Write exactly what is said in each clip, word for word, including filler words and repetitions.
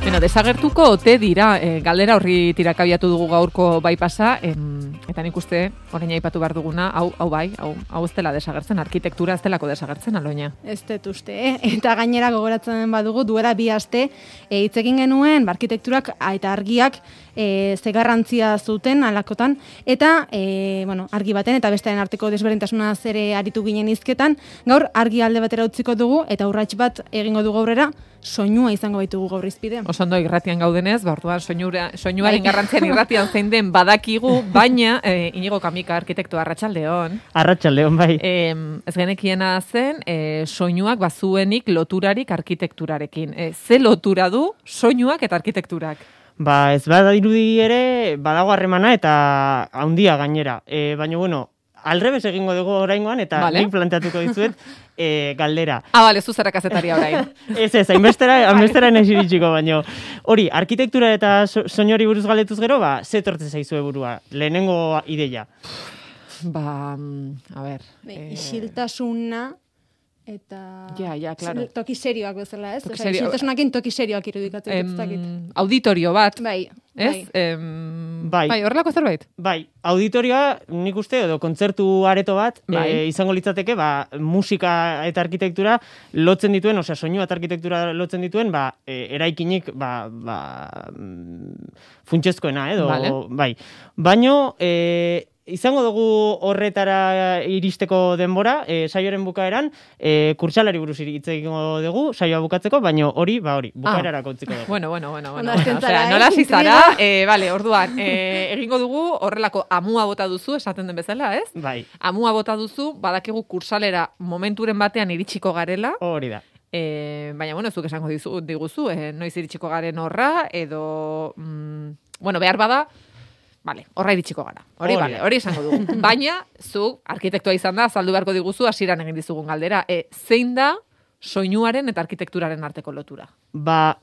Bueno, desagertuko ote dira, e, galdera horri tirakabiatu dugu gaurko bai pasa, em, eta nik uste, orain aipatu behar duguna, hau, hau bai, hau, hau ez dela desagertzen, arkitektura ez delako desagertzen, Aloña. Ez dut uste, eh? Eta gainera gogoratzen badugu, duela bi aste, e, hitz egin genuen, arkitekturak eta argiak e, ze garrantzia zuten alakotan, eta e, bueno, argi baten eta bestearen arteko desberdintasunaz ere aritu ginen hizketan, gaur argi alde batera utziko dugu, eta urrats bat egingo dugu aurrera, soinua izango baitugu gaur izpide. Oso ondo irratian gaudenez, orduan soinura, soinuaren garrantzian irratian zein den badakigu, baina e, Inigo Kamika arkitektoa arratsaldeon. Arratsaldeon bai. E, ez genekiena zen, e, soinuak bazuenik loturarik arkitekturarekin. E, ze lotura du soinuak eta arkitekturak? Ba, ez bada dirudi ere, badago harremana eta handia gainera. E, baina, bueno, alrebes egingo dugu oraingoan, eta vale. Nik planteatuko dizuet e, galdera. Ah, bale, zuzera kazetaria orain. ez ez, hainbestera, hainbestera nesiritsiko, baina hori, arkitektura eta so, soinori buruz galdetuz gero, ba, ze tortzen zaizue burua, lehenengo ideia. Ba, a ber. Eh, isiltasuna eta ja, ja, claro. Toki serioak bezala, ez? Toki Osa, isiltasunakin toki serioak irudikatzen em, ez dakit. Auditorio bat. Bai. Ez? Bai. Em, bai. Bai, horrelako zerbait? Bai, auditorioa nik uste edo kontzertu areto bat bai. e, izango litzateke, ba, musika eta arkitektura lotzen dituen, osea, soinua eta arkitektura lotzen dituen, ba, e, eraikinik, ba, ba, funtsezkoena, edo, vale. Bai. Baino, e, izango dugu horretara iristeko denbora, e, saioaren bukaeran, e, kurtsalari buruz hitz egingo dugu, saioa bukatzeko, baina hori, ba hori, bukaerara ah. kontziko dugu. Bueno, bueno, bueno, bueno. bueno. Osea, nola zizara, eh, vale, orduan, eh, egingo dugu horrelako amua bota duzu, esaten den bezala, ez? Bai. Amua bota duzu, badakigu kursalera momenturen batean iritsiko garela. Hori da. Eh, baina, bueno, zuk esango dizu, diguzu, eh, noiz iritsiko garen horra, edo, mm, bueno, behar bada, Vale, horra iritsiko gara. Hori, vale, hori esango dugu. Baina, zu, arkitektua izan da, azaldu beharko diguzu, hasieran egin dizugun galdera. E, zein da soinuaren eta arkitekturaren arteko lotura? Ba,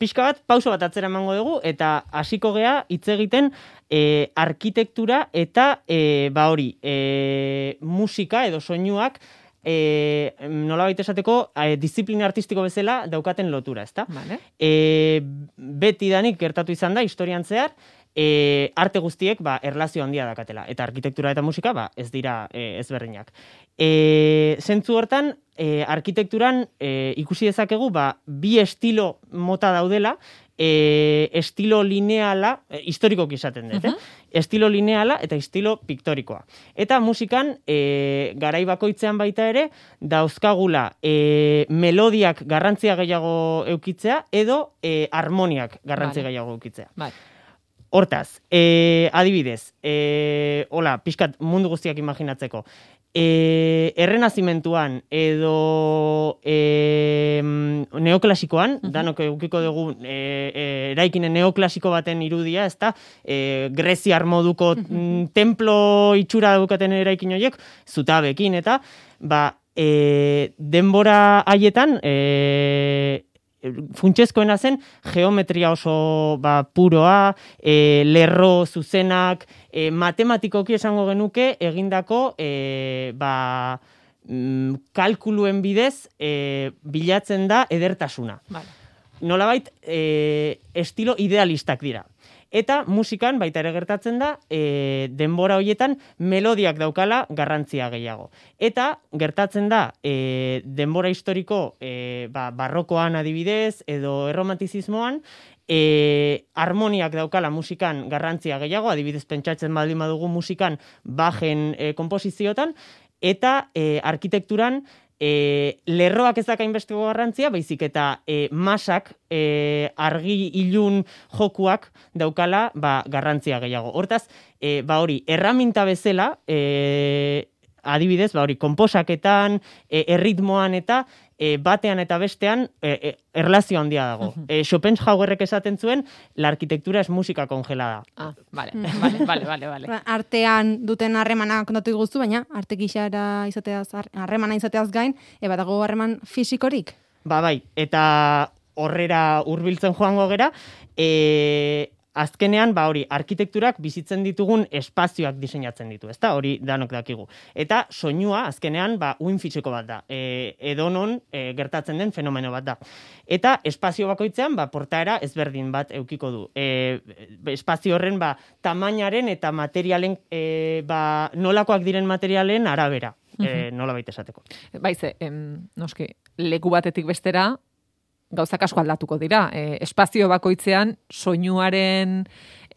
pixka bat, pauso bat atzera emango dugu, eta hasiko gea hitz egiten e, arkitektura eta, e, ba hori, e, musika edo soinuak, E, nolabait esateko, e, disiplina artistiko bezala daukaten lotura, ezta? Vale. E, beti danik gertatu izan da, historian zehar, e, arte guztiek ba, erlazio handia dakatela. Eta arkitektura eta musika ba, ez dira e, ezberdinak. E, zentzu hortan, e, arkitekturan e, ikusi dezakegu ba, bi estilo mota daudela, e, estilo lineala, e, historikoki izaten dut, uh-huh. eh? Estilo lineala eta estilo piktorikoa. Eta musikan, e, garai bakoitzean baita ere, dauzkagula e, melodiak garrantzia gehiago eukitzea, edo e, harmoniak garrantzia vale. gehiago eukitzea. Vale. Hortaz, e, adibidez, e, hola, pixkat mundu guztiak imaginatzeko, e, errenazimentuan edo e, neoklasikoan, uh-huh. danok eukiko dugu e, e, eraikinen neoklasiko baten irudia, ezta, e, greziar moduko uh-huh. templo itxura daukaten eraikin horiek, zutabekin, eta, ba, e, denbora haietan, e, funtsezkoena zen geometria oso ba, puroa, e, lerro zuzenak, e, matematikoki esango genuke egindako e, ba, mm, kalkuluen bidez e, bilatzen da edertasuna. Vale. Nolabait e, estilo idealistak dira. Eta musikan baita ere gertatzen da, e, denbora horietan melodiak daukala garrantzia gehiago. Eta gertatzen da, e, denbora historiko e, ba, barrokoan adibidez, edo erromantizismoan, e, harmoniak daukala musikan garrantzia gehiago, adibidez pentsatzen baldin badugu musikan bajen e, komposiziotan, eta e, arkitekturan, E, lerroak ez dakainbesteko garrantzia, baizik eta e, masak, e, argi ilun jokuak daukala ba, garrantzia gehiago. Hortaz, e, ba hori, erraminta bezala, e, adibidez, ba hori, konposaketan, e, erritmoan eta e, batean eta bestean e, e, erlazio handia dago. E, Schopenhauerrek esaten zuen, la arkitektura es música congelada. Ah, vale, vale, vale, vale, vale. Artean duten harremana kontatu diguzu, baina arte gixara izateaz, harremana izateaz gain, eba dago harreman fisikorik? Ba bai, eta horrera hurbiltzen joango gera, e, azkenean, ba hori, arkitekturak bizitzen ditugun espazioak diseinatzen ditu, ezta? Hori danok dakigu. Eta soinua, azkenean, ba, uin fisiko bat da. E, edonon e, gertatzen den fenomeno bat da. Eta espazio bakoitzean, ba, portaera ezberdin bat eukiko du. E, espazio horren, ba, tamainaren eta materialen, e, ba, nolakoak diren materialen arabera, e, nola baita esateko. Baize, em, noski, leku batetik bestera, gauzak asko aldatuko dira. E, espazio bakoitzean soinuaren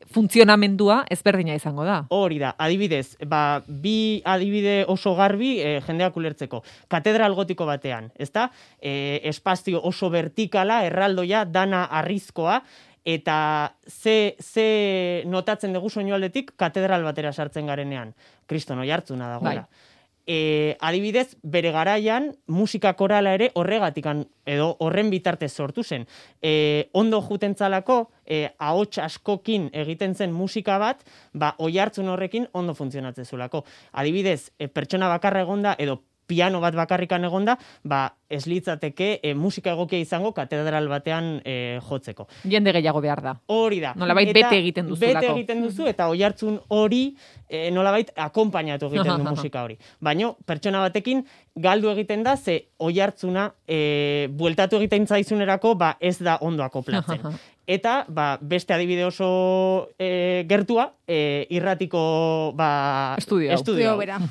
funtzionamendua ezberdina izango da. Hori da, adibidez, ba, bi adibide oso garbi e, jendeak ulertzeko. Katedral gotiko batean, ezta? E, espazio oso vertikala, erraldoia, dana arrizkoa, eta ze, ze notatzen dugu soinu aldetik katedral batera sartzen garenean. Kriston oihartzuna dagoela. Bai. E, adibidez, bere garaian musika korala ere horregatikan edo horren bitartez sortu zen. E, ondo jutentzalako, e, ahots askokin egiten zen musika bat, ba, oihartzun horrekin ondo funtzionatzen zulako. Adibidez, e, pertsona bakarra egonda edo piano bat bakarrikan egonda, ba, ez litzateke e, musika egokia izango katedral batean e, jotzeko. Jende gehiago behar da. Hori da. Nolabait bete egiten duzulako. Bete egiten duzu eta oihartzun hori e, nolabait akonpainatu egiten du musika hori. Baina pertsona batekin galdu egiten da, ze oihartzuna e, bueltatu egiten zaizunerako ba, ez da ondo akoplatzen. Eta ba, beste adibide oso e, gertua, e, irratiko ba, estudio. Estudio. bera.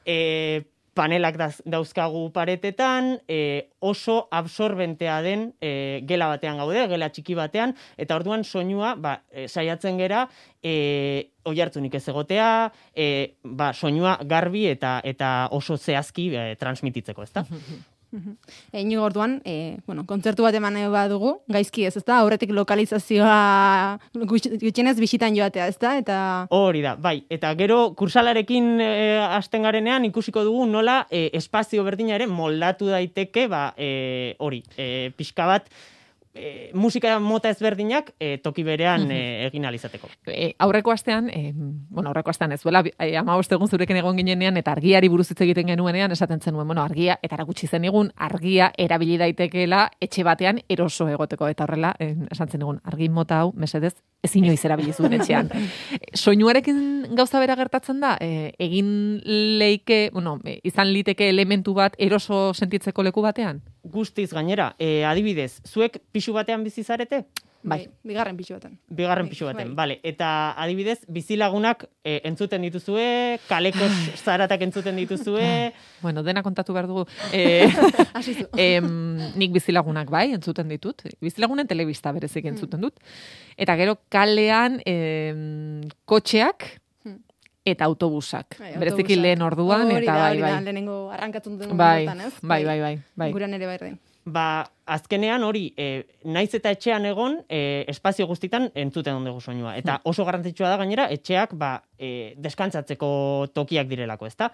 E, panelak dauzkagu paretetan, e, oso absorbentea den e, gela batean gaude, gela txiki batean, eta orduan soinua ba, e, saiatzen gera e, oihartzunik ez egotea, e, ba, soinua garbi eta eta oso zehazki e, transmititzeko, ezta? Inigo orduan, e, bueno, kontzertu bat eman badugu, gaizki ez, ezta? Aurretik lokalizazioa gutxienez bisitan joatea, ezta? Eta hori da, bai. Eta gero kursalarekin e, hasten garenean ikusiko dugu nola e, espazio berdina ere moldatu daiteke, ba, e, hori, e, pixka bat E, musika mota ezberdinak e, toki berean e, egin alizateko. E, aurreko astean, e, bueno, aurreko astean ez duela, e, hamabost egun zurekin egon ginenean, eta argiari buruz hitz egiten genuenean, esaten zenuen, bueno, argia, eta erakutsi zen egun, argia erabili daitekeela etxe batean eroso egoteko, eta horrela, e, esan zen egun, argi mota hau, mesedez, ez inoiz erabili zuen etxean. Soinuarekin gauza bera gertatzen da, e, egin leike, bueno, e, izan liteke elementu bat eroso sentitzeko leku batean? Guztiz gainera, e, adibidez, zuek pisu batean bizi zarete? Bai, bigarren pisu baten. Bigarren pisu baten, bale. Eta adibidez, bizilagunak e, entzuten dituzue, kaleko zaratak entzuten dituzue. Bueno, dena kontatu behar dugu. E, em, nik bizilagunak bai, entzuten ditut. Bizilagunen telebista berezik entzuten dut. Eta gero kalean em, kotxeak eta autobusak. Bai, bereziki lehen orduan, hori eta da, bai, hori bai. Da, lehenengo arrankatzen duen Bai, momentan, ez? bai, bai, bai, bai. Guran ere bai den. Ba, azkenean hori, e, naiz eta etxean egon, e, espazio guztitan entzuten ondugu soinua. Eta oso garrantzitsua da gainera, etxeak ba, e, deskantzatzeko tokiak direlako, ezta?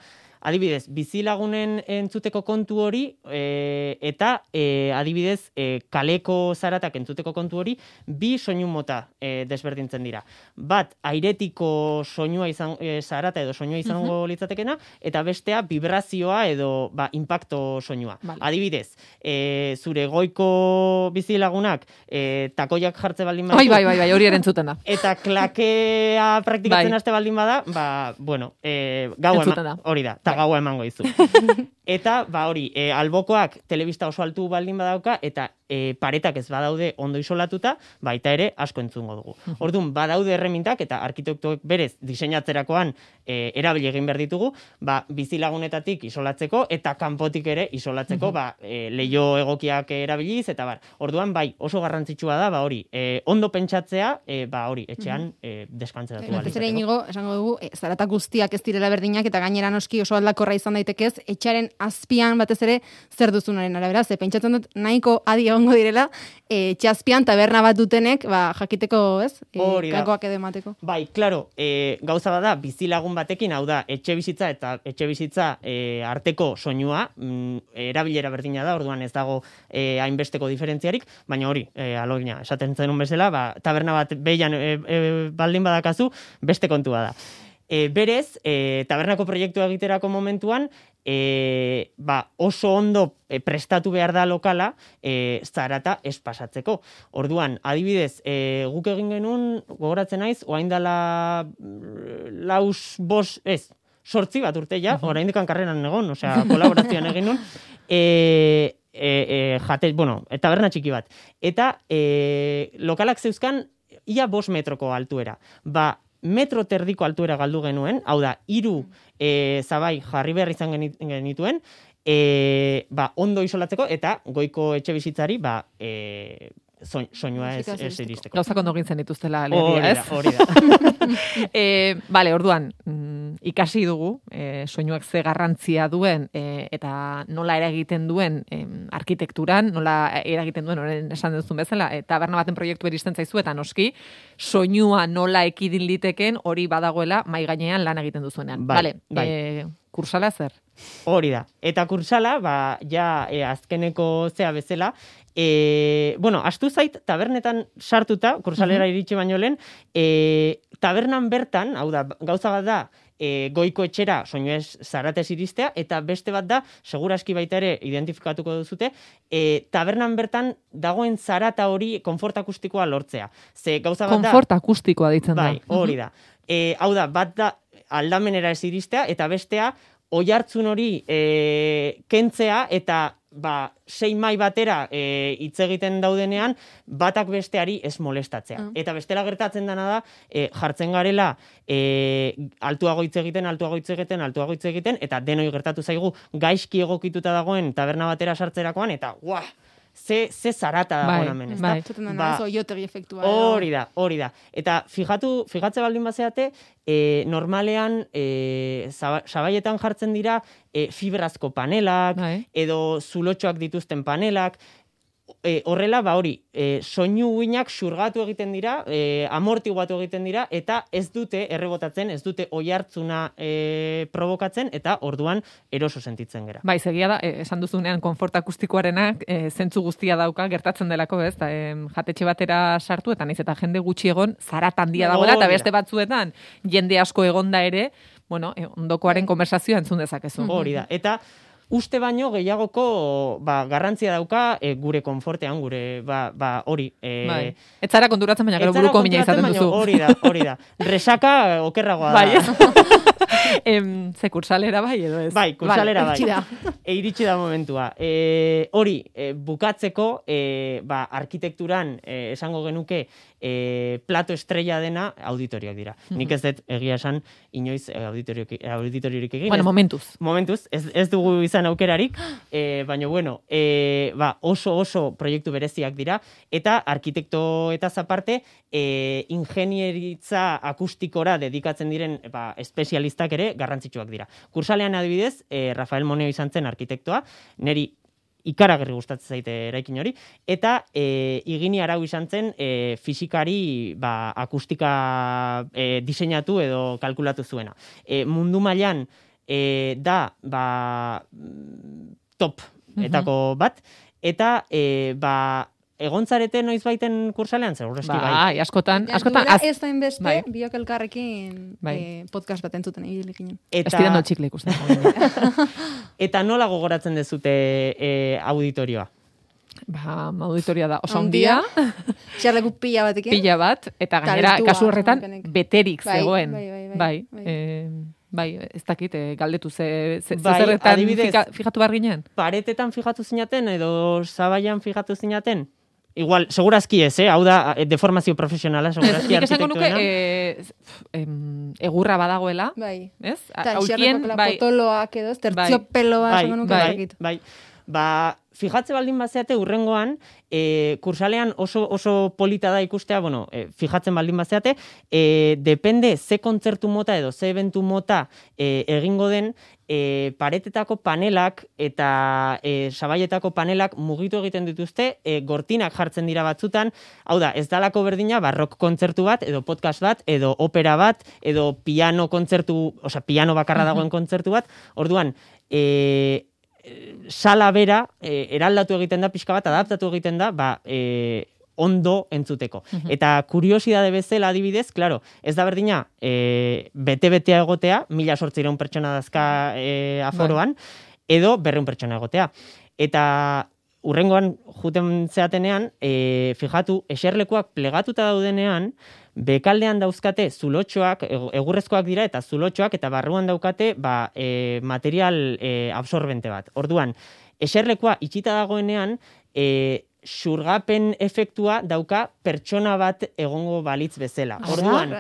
Adibidez, bizilagunen entzuteko kontu hori, e, eta e, adibidez, e, kaleko zaratak entzuteko kontu hori, bi soinu mota e, desberdintzen dira. Bat, airetiko soinua izan, e, zarata edo soinua izango uh-huh. litzatekena, eta bestea, vibrazioa edo ba, impacto soinua. Vale. Adibidez, e, zure goiko bizilagunak e, takoiak jartze baldin badu. Bai, bai, bai, bai, hori eren zutena. Eta klakea praktikatzen bai. Haste baldin bada, ba, bueno, e, gaua ema, hori da, eta bai. Gaua emango izu. Eta, ba hori, e, albokoak telebista oso altu baldin badauka, eta e, paretak ez badaude ondo isolatuta, baita ere asko entzungo dugu. Orduan, badaude erremintak, eta arkitektuek berez diseinatzerakoan e, erabili egin behar ditugu, ba, bizilagunetatik isolatzeko, eta kanpotik ere isolatzeko, ba, e, leio egokiak erabiliz, eta bar. Orduan, bai, oso garrantzitsua da, ba hori, e, ondo pentsatzea, e, ba hori, etxean e, deskantzeratu bali. Ez ere inigo, esango dugu, e, zaratak guztiak ez direla berdinak, eta gainera noski oso aldakorra izan daitekez, etxearen azpian batez ere zer duzunaren arabera, ze pentsatzen dut nahiko adi egongo direla, e, txazpian taberna bat dutenek, ba, jakiteko, ez? E, kakoak edo emateko. Bai, klaro, e, gauza bada, bizilagun batekin, hau da, etxe bizitza eta etxe bizitza e, arteko soinua, mm, erabilera berdina da, orduan ez dago e, hainbesteko diferentziarik, baina hori, e, alogina, esaten zenun bezala, ba, taberna bat behian e, e, baldin badakazu, beste kontua da. E, berez, e, tabernako proiektua egiterako momentuan, e, ba, oso ondo e, prestatu behar da lokala e, zarata ez pasatzeko. Orduan, adibidez, e, guk egin genuen, gogoratzen naiz, oain dala laus bos, ez, sortzi bat urte ja, orain dikan karreran egon, osea, kolaborazioan egin nuen, e, e, e, jate, bueno, taberna txiki bat. Eta e, lokalak zeuzkan, ia bost metroko altuera. Ba, metro terdiko altuera galdu genuen, hau da, hiru e, zabai jarri behar izan genituen, e, ba, ondo isolatzeko, eta goiko etxe bizitzari, ba, e, soinua ez, ez iristeko. Gauzak ondo gintzen dituztela, alegia, ez? Hori da, hori da. e, bale, orduan, mm, ikasi dugu, e, soinuak ze garrantzia duen, e, eta nola eragiten duen e, arkitekturan, nola eragiten duen, orain esan duzun bezala, e, taberna baten proiektu iristen zaizu, eta noski, soinua nola ekidin liteken hori badagoela mai gainean lan egiten duzuenean. Bai, Bale, bai. E, kursala zer? Hori da. Eta kursala, ba, ja, e, azkeneko zea bezala, e, bueno, astu zait, tabernetan sartuta, kursalera iritsi baino lehen, e, tabernan bertan, hau da, gauza bat da, e, goiko etxera soinu ez zaratez iristea, eta beste bat da, seguraski baita ere identifikatuko duzute, e, tabernan bertan dagoen zarata hori konfort akustikoa lortzea. Ze gauza bat da... Konfort akustikoa ditzen da. Bai, hori da. E, hau da, bat da aldamenera ez iristea, eta bestea, oihartzun hori e, kentzea, eta ba, sei mai batera e, hitz egiten daudenean, batak besteari ez molestatzea. Mm. Eta bestela gertatzen dena da, e, jartzen garela, e, altuago hitz egiten, altuago hitz egiten, altuago hitz egiten, eta denoi gertatu zaigu gaizki egokituta dagoen taberna batera sartzerakoan, eta guau, ze, ze zarata dagoen bai, hemen, ez bai. da? Ba, oiotegi efektua. Hori da, hori da. Eta fijatu, figatze baldin bazeate, e, normalean e, sabaietan jartzen dira e, fibrazko panelak, bai. edo zulotxoak dituzten panelak, e, horrela, ba hori, e, soinu uinak xurgatu egiten dira, e, amortiguatu egiten dira, eta ez dute errebotatzen, ez dute oihartzuna e, provokatzen, eta orduan eroso sentitzen gera. Bai, segia da, eh, esan duzunean konfort akustikoarenak eh, zentzu guztia dauka gertatzen delako, ez? Da, eh, jatetxe batera sartu eta naiz eta jende gutxi egon zarat handia dagoela, eta beste batzuetan jende asko egonda ere, bueno, eh, ondokoaren konversazioa entzun dezakezu. Hori da. Eta uste baino gehiagoko ba, garrantzia dauka e, gure konfortean, gure ba, ba, hori. E, bai. Ez zara konturatzen, baina gero buruko mina izaten duzu. Hori da, hori da. Resaka okerragoa da. Bai. em, ze kursalera bai edo ez? Bai, kursalera vale, bai. da. E, iritsi da momentua. E, hori, e, bukatzeko, e, ba, arkitekturan e, esango genuke e, plato estrella dena auditorioak dira. Mm-hmm. Nik ez dut egia esan inoiz auditoriorik egin. Bueno, momentuz. Momentuz, ez, ez dugu izan aukerarik, e, baina bueno, e, ba, oso oso proiektu bereziak dira, eta arkitekto eta aparte e, ingenieritza akustikora dedikatzen diren ba, espezialistak ere garrantzitsuak dira. Kursalean adibidez, e, Rafael Moneo izan zen arkitektoa, neri ikaragarri gustatzen zaite eraikin hori, eta e, Igini Arau izan zen e, fisikari ba, akustika e, diseinatu edo kalkulatu zuena. E, mundu mailan e, da ba, top etako bat, eta e, ba, egontzarete noiz baiten kursalean, segurazki bai. Bai, askotan, askotan. Az... Ez da inbeste, bai. biok elkarrekin bai. eh, podcast bat entzuten egin ginen. Eta... Estirando txikle ikusten. Eta nola gogoratzen dezute e, auditorioa? Ba, auditoria da oso handia, xarleku pila batekin. pila bat, eta gainera, Talentua, kasu horretan, kenek. beterik Bai, zegoen. bai, bai, bai, bai. bai. Eh, bai, ez dakit, eh, galdetu ze, ze, Bai, ze zerretan adibidez, fika, fijatu behar ginen? Paretetan fijatu zinaten edo zabaian fijatu zinaten? Igual, segurazki ez, eh? Hau da, deformazio profesionala, segurazki Nik esango nuke, arkitektuena. eh, em, egurra badagoela, Bai. ez? Eta Aulkien, xarleko bai, potoloak edo, tertziopeloa bai, esango nuke. bai, zakit. bai. Ba, fijatze baldin bazeate urrengoan, e, kursalean oso, oso polita da ikustea, bueno, e, fijatzen baldin bazeate, e, depende ze kontzertu mota edo ze eventu mota e, egingo den, e, paretetako panelak eta e, sabaietako panelak mugitu egiten dituzte, e, gortinak jartzen dira batzutan, hau da, ez dalako berdina barrok kontzertu bat, edo podcast bat, edo opera bat, edo piano kontzertu, osea, piano bakarra dagoen kontzertu bat, orduan, e, sala bera, e, eraldatu egiten da pixka bat, adaptatu egiten da, ba, e, ondo entzuteko. Eta kuriosidade bezala adibidez, claro, ez da berdina, e, bete-betea egotea, mila sortzireun pertsona dazka e, aforoan, edo berreun pertsona egotea. Eta urrengoan juten zeatenean, e, fijatu, eserlekuak plegatuta daudenean, bekaldean dauzkate zulotxoak, egurrezkoak dira eta zulotxoak, eta barruan daukate ba, e, material e, absorbente bat. Orduan, eserlekua itxita dagoenean, e, xurgapen efektua dauka pertsona bat egongo balitz bezala. Orduan,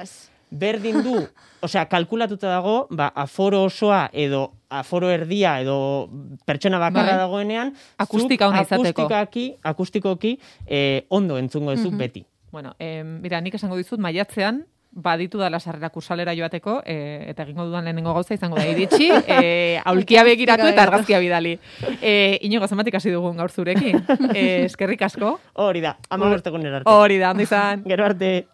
berdin du, osea, kalkulatuta dago, ba, aforo osoa edo aforo erdia edo pertsona bakarra dagoenean, akustika hona izateko. Akustikoki, akustikoki eh, ondo entzungo duzu mm-hmm. beti. Bueno, eh, mira, nik esango dizut, maiatzean, baditu dala sarrera kursalera joateko, eh, eta egingo dudan lehenengo gauza izango da iritsi, eh, aulkia begiratu eta argazkia bidali. Eh, Inigo, zenbatik hasi dugun gaur zurekin. Eh, eskerrik asko. Hori da, ama bertekun erarte. Hori da, ondo izan. Gero arte.